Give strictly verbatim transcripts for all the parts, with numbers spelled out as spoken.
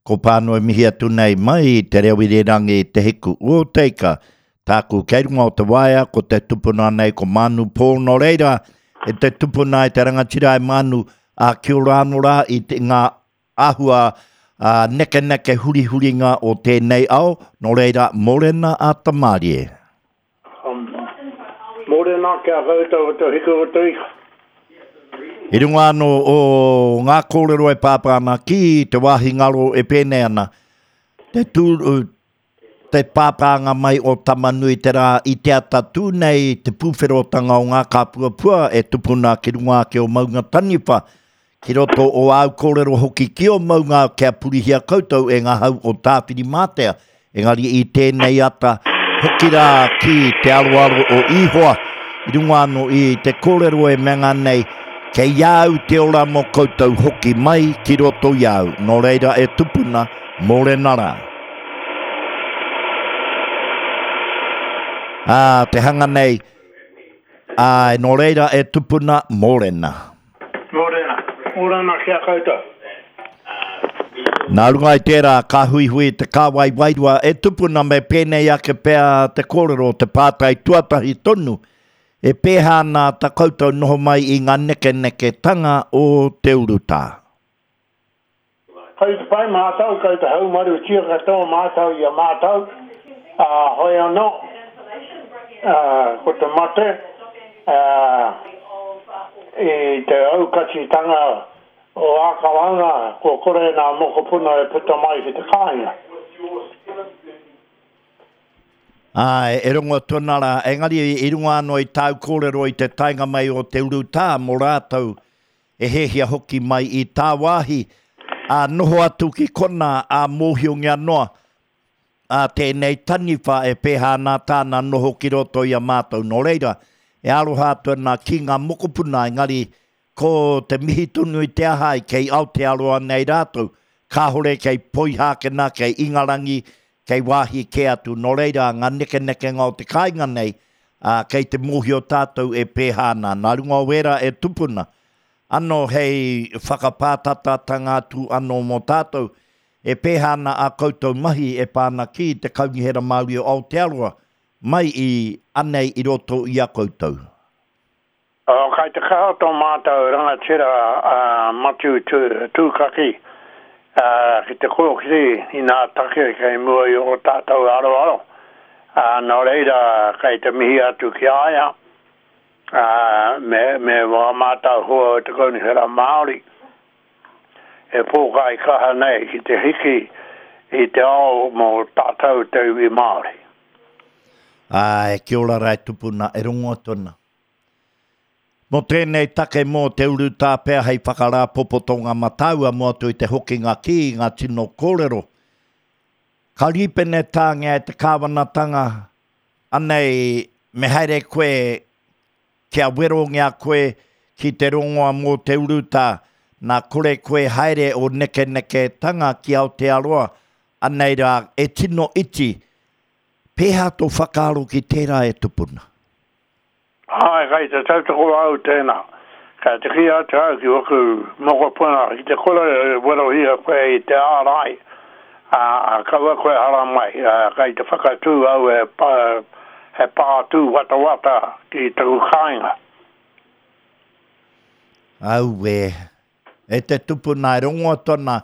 Ko pānui mihi atu nei mai i te reo irirangi i Te Hiku o Teika. Tāku kei runga o te waea, ko te tupuna nei ko Manu Pō. Nō reira, e te tupuna e te rangatira e Manu, a kia ora anō rā i te, ngā āhua a, nekeneke hurihuringa o tēnei ao. Nō reira, mōrena a Tamārie. Um, mōrena kia koutou o Te Hiku o Teika. I runga anō o ngā kōrero e pāpā ana ki te wāhi ngaro e pēnei ana, te tū, te pāpānga mai o Tamanui te rā i te ata tū nei te pūwherotanga o ngā kāpuapua e tupuna ki runga ake o Maunga Taniwha, ki roto o āu kōrero hoki ki o Maunga kia purihia koutou e ngā hau o Tāwhirimātea. Engari i tēnei ata, hoki rā ki te aroaro o Ihoa, i runga anō i te kōrero e menga nei, kei au te ora mō koutou hoki mai ki roto i au. Nō reira e tupuna, mōrena rā. Ā, te hanga nei, ā, nō reira e tupuna, mōrena. Mōrena. Mōrena kia koutou. Nā runga i tērā, ka huihui te kāwai wairua e tupuna me pēnei ake pea te kōrero, te pātai tuatahi tonu, e pēhā ana ta koutou noho mai i ngā nekeneketanga o te urutā. Kei te pai mātou, kei te haumarutia katoa mātou i a mātou, ā, hoi anō, ā, ko te mate, ā, i te aukatitanga o Ākarana, kua kore nā mokopuna e puta mai ki te kāinga. Āe, e rongo atu ana rā, engari i runga anō i tāu kōrero i te taenga mai o te urutā mō rātou e hēhia hoki mai i tāwāhi, ā, noho atu ki konā, ā, mōhiongia noa, ā, tēnei taniwha e pēhā ana tāna noho ki roto i a mātou. Nō reira, e aroha atu ana ki ngā mokopuna, engari ko te mihi tonu i te aha ai kei Aotearoa nei rātou, kāhore kei Poihākena, kei Ingarangi, kei wāhi kē atu. Nō reira, ngā nekenekenga o te kāinga nei, ā, kei te mōhio tātou e pēhā ana. Nā runga o wērā e tupuna, anō hei whakapātatatanga atu anō mō tātou, e pēhā ana ā koutou mahi e pā ana ki te Kaunihera Māori o Aotearoa, mai i anei i roto i a koutou. Oh, kai te kaha tō mātou rangatira a Matiu Tūkaki ki te kōkiri i nā take kei mua i o tātou aroaro. Uh, nō reira, kei te mihi atu ki a ia, uh, me, me wā mātou hua o te Kaunihera Māori, e pōkai kaha nei ki te hiki i te ao mō tātou te iwi Māori. Āe, kia ora rā e tupuna, e rongo atu ana. Mō tēnei take mō te urutā pea hei whakarāpopotonga matāua mō atu i te hokinga ki ngā tino kōrero. Ka rīpenetāngia e te kāwanatanga, anei me haere koe kia werongia koe ki te rongoa mō te urutā, nā kore koe haere o nekeneketanga ki Aotearoa, anei rā e tino iti. Pēhā tō whakaaro ki tērā e tupuna? Āe, kei te tautoko au tēnā. Kei te kī atu au ki waku mokopuna, ki te kore e werohia koe i te ārai, ā, kaua koe haramai, ā, kei te whakatū au e pā, he pā tūwatawata ki taku kāinga. Auē, e te tupuna e rongo atu ana,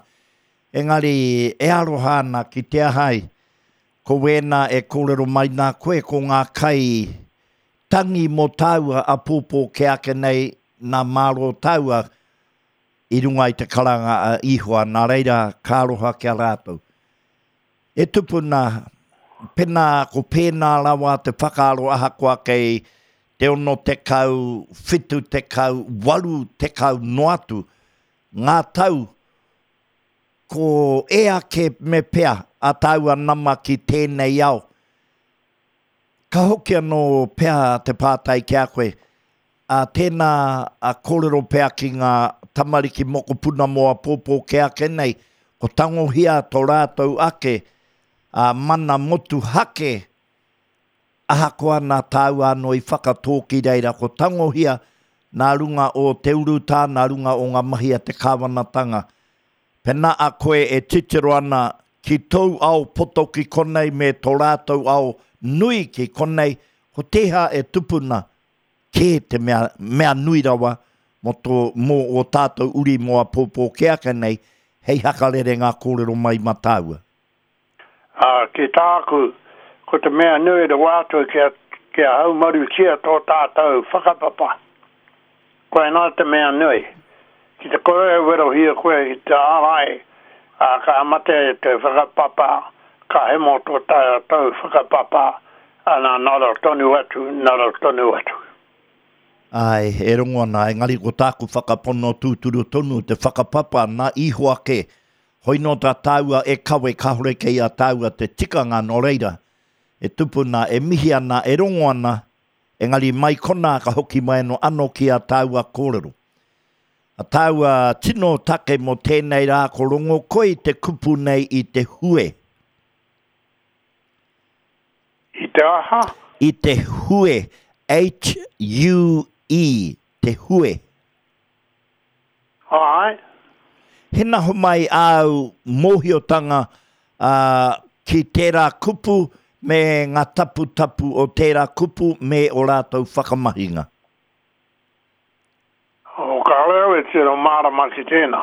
engari e aroha ana ki te aha ai, ko wēnā e kōrero mai nā koe ko ngā kai tangi mō tāua apōpō kē ake nei nā mārō tāua i runga i te karanga a Ihoa, nā reira ka aroha ki a rātou. E tupuna, pēnā, ko pēnā rawa te whakaaro ahakoa kei te ono tekau, whitu tekau, waru tekau noa atu ngā tau, ko e ake me pea a tāua nama ki tēnei ao. Ka hoki anō pea te pātai ki a koe, ā, tēnā a kōrero pea ki ngā tamariki mokopuna mō apōpō kē ake nei, ko tangohia tō rātou ake, ā, mana motuhake, ahakoa nā tāua anō i whakatō ki reira, ko tangohia nā runga o te urutā, nā runga o ngā mahi a te kāwanatanga. Pena a koe e titiro ana ki tōu ao poto ki konei me tō rātou ao nui ki konei, ko tēhea e tupuna kē te mea, mea nui rawa mō tō, mō ō tātou uri mō āpōpō kē ake nei, hei hakarere ngā kōrero mai mā tāua. Ā, ki tāku, ko te mea nui rawa atu kia, kia haumarutia tō tātou whakapapa. Koinā te mea nui. Ki te kore e werohia koe ki te ārai, ā, ka mate te whakapapa, ka hemo tō tātou whakapapa, ana ngaro tonu atu, ngaro tonu atu. Āe, e rongo ana, engari ko tāku whakapono tūturu tonu te whakapapa nā Ihowa kē. Hoi nō tā tāua e kawe kāore kei a tāua te tikanga nō reira, e tupuna, e mihi ana, e rongo ana, engari mai konā ka hoki mai anō anō ki a tāua kōrero. A tāua tino take mō tēnei rā ko rongo koe i te kupu nei i te hue. I te aha? I te hue, H-U-E, te hue. Āe. Hena homai āu mōhiotanga ki tērā kupu me ngā taputapu o tērā kupu me ō rātou whakamahinga. Oh, kāore au e tino mārama ki tēnā.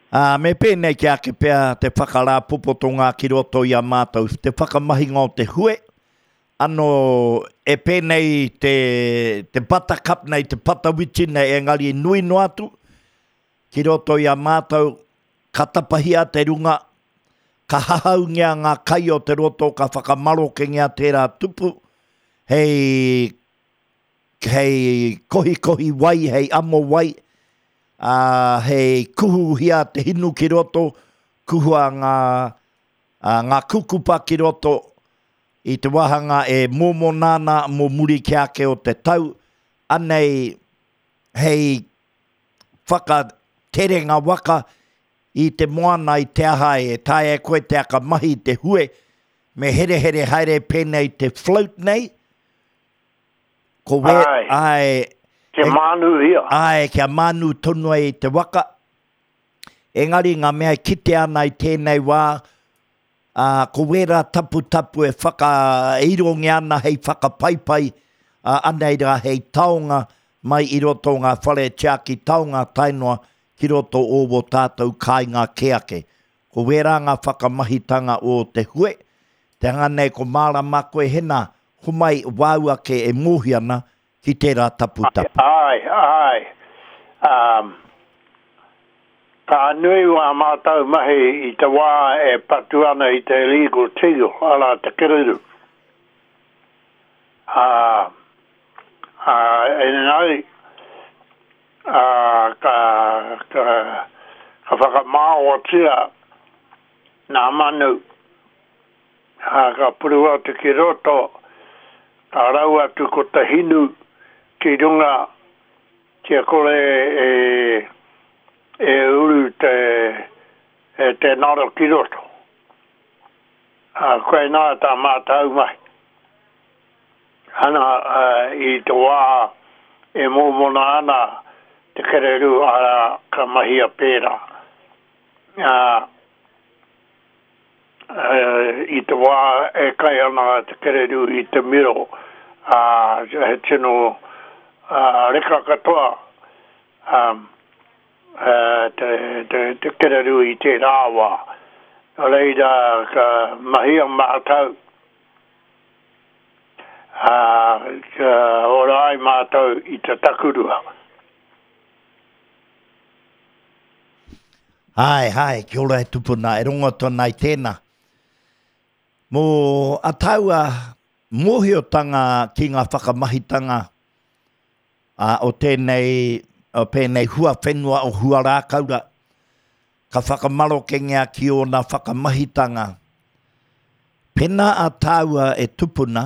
Ā, me pēnei ki ake pea te whakarāpopotonga ki roto i a mātou, te whakamahinga o te hue, ano e pēnei te, te buttercup nei, te patawiti nei, engari nui noa atu, ki roto i a mātou, ka tapahia te runga, ka hahaungia ngā kai o te roto, ka whakamarokengia tērā tupu, hei, hei kohikohi wai, hei amo wai, ā, hei kuhuhia te hinu ki roto, kuhua ngā, ā, ngā kukupa ki roto, i te wāhanga e mōmona ana mō muri ki ake o te tau, anei hei whakaterenga waka i te moana i te aha e taea e koe te aka mahi i te hue, me herehere haere pēnei te float nei, ko wē, Āe. āe, Kia mānuhia. Āe, kia mānu tonu ai te waka. Engari ngā mea e kitea ana i tēnei wā, ā, ko wērā taputapu e whakairongia ana hei whakapaipai, ā, anei rā hei taonga mai i roto o ngā whare tiaki taonga tae noa ki roto o wō tātou kāinga kē ake. Ko wērā ngā whakamahitanga o te hue, te hanga nei ko mārama koe hena, homai wāu ake e mōhio ana ki tērā taputapu. Āe, āe. Um, ka nui wā mātou mahi i te wā e patu ana i te illegal teal, arā te kereru. Ā, ā, engari, ā, ka, ka, ka whakamāoatia nā manu, ā, ka puru atu ki roto, ka rau atu ko te hinu ki runga kia kore e, e uru te, e te ngaro ki roto. Ā, koinā tā mātou mahi. Ana, ā, i te wā e mōmona ana te kererū, arā, ka mahia pērā. Ā, ā, i te wā e kai ana te kererū i te miro, ā, he tino, ā, reka katoa, ā, ā, te, te, te kererū i tērā wā. Nō reira, ka mahia mātou, ā, kia ora ai mātou i te takurua. Hae, hae, kia ora e tupuna, e rongo atu ana i tēnā. Mō a tāua mōhiotanga ki ngā whakamahitanga a, o tēnei, o pēnei huawhenua o Huarākaura, ka whakamarokengia ki ōna whakamahitanga. Pēnā a tāua e tupuna,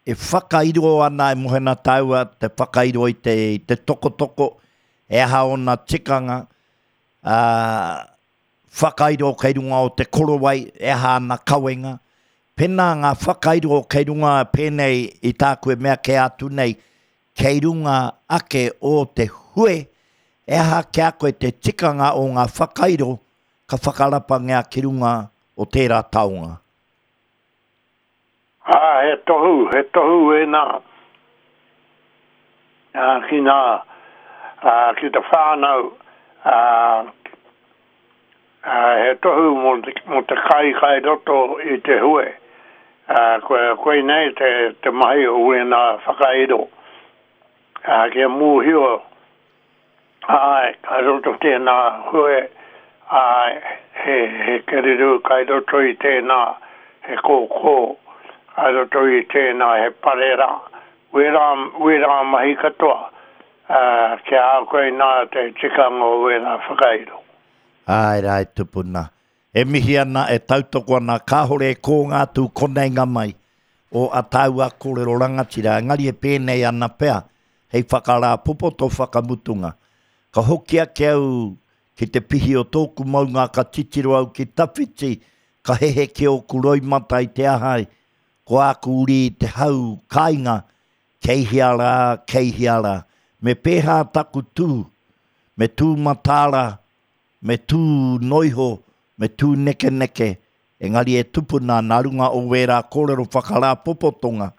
e whakairo ana e mohena tāua te whakairo i te, i te tokotoko, e aha ōna tikanga, ā, whakairo kei runga o te korowai, e aha ana kawenga. Pēnā ngā whakairo kei runga pēnei i tāku e mea kē atu nei, kei runga ake o te hue, E aha ki a koe te tikanga o ngā whakairo ka whakarapangia ki runga o tērā taonga? Ā, he tohu, he tohu ēnā ā, ki nā, ā, ki te whānau, ā, ā, he tohu mō te, mō te kai kai roto i te hue. Ā, koe, koinei te, te mahi o wēnā whakairo. Ā, kia mōhio, āe, kai roto tēnā hue, āe, he, he kereru kai roto i tēnā, he kōkō, kai roto i tēnā, he parera, wērā, wērā mahi katoa, ā, kia a koe nā te tikanga o wērā whakairo. Āe rā e tupuna. E mihi ana, e tautoko ana, kāhore e kō ngā atu koneinga mai o a tāua kōrero rangatira, engari e pēnei ana pea, hei whakarāpopoto whakamutunga. Ka hoki ake au ki te pihi o tōku maunga, ka titiro au ki tawhiti, ka hehe ki ōku roimata i te ahai, ko āku uri i te hau kāinga, kei hea rā, kei hea rā. Me pēhā taku tū, me tū mataara, me tū noiho, me tū nekeneke, engari e tupuna nā runga o wērā kōrero whakarāpopotonga,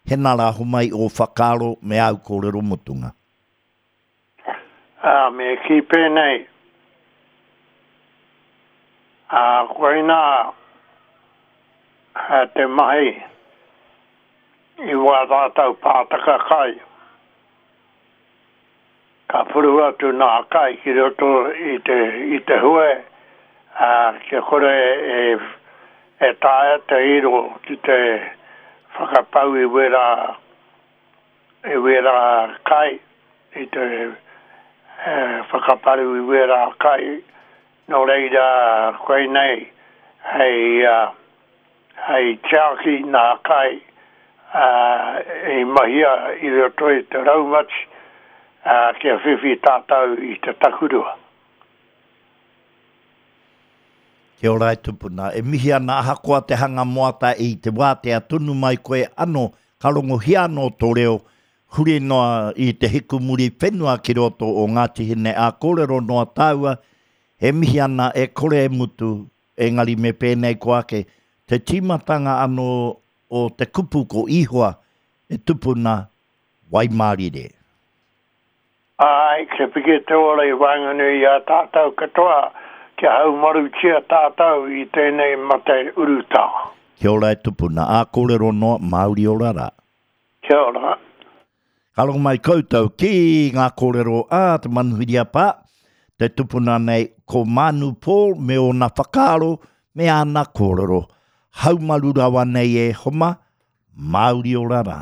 hena rā homai o whakaaro me āu kōrero mutunga. Ā, me kī pēnei, ā, koinā te mahi i wā tātou pātaka kai. Ka puru atu nā kai ki roto i te, i te hue, ā, kia kore e, e taea te iro ki te whakapau i wērā, i wērā kai, i te e, whakaparu i wērā kai. Nō reira, koinei hei, uh, hei tiaki nā kai uh, i mahia i roto i te raumati uh, kia whiwhi tātou i te takurua. Kia ora e tupuna. E mihi ana ahakoa te hanga moata i te wātea tonu mai koe ano, ka rongohia anō tō reo, huri noa i te hikumuri whenua ki roto o Ngāti Hine a kōrero noa tāua, e mihi ana e kore e mutu, engari me pēnei ko ake, te tīmatanga anō o te kupu ko Ihoa e tupuna waimārire. Ai, kia piki te ora i waenganui i a tātou katoa, kia haumarutia tātou i tēnei mate urutā. Kia ora e tupuna, a kōrero noa, Māori ora rā. Kia ora. Ka rongo mai koutou ki ngā kōrero a te manuhiri a pā, te tupuna nei ko Manu Paul me ōna whakaaro me āna kōrero. Haumaru rawa nei e homa, Māori ora rā.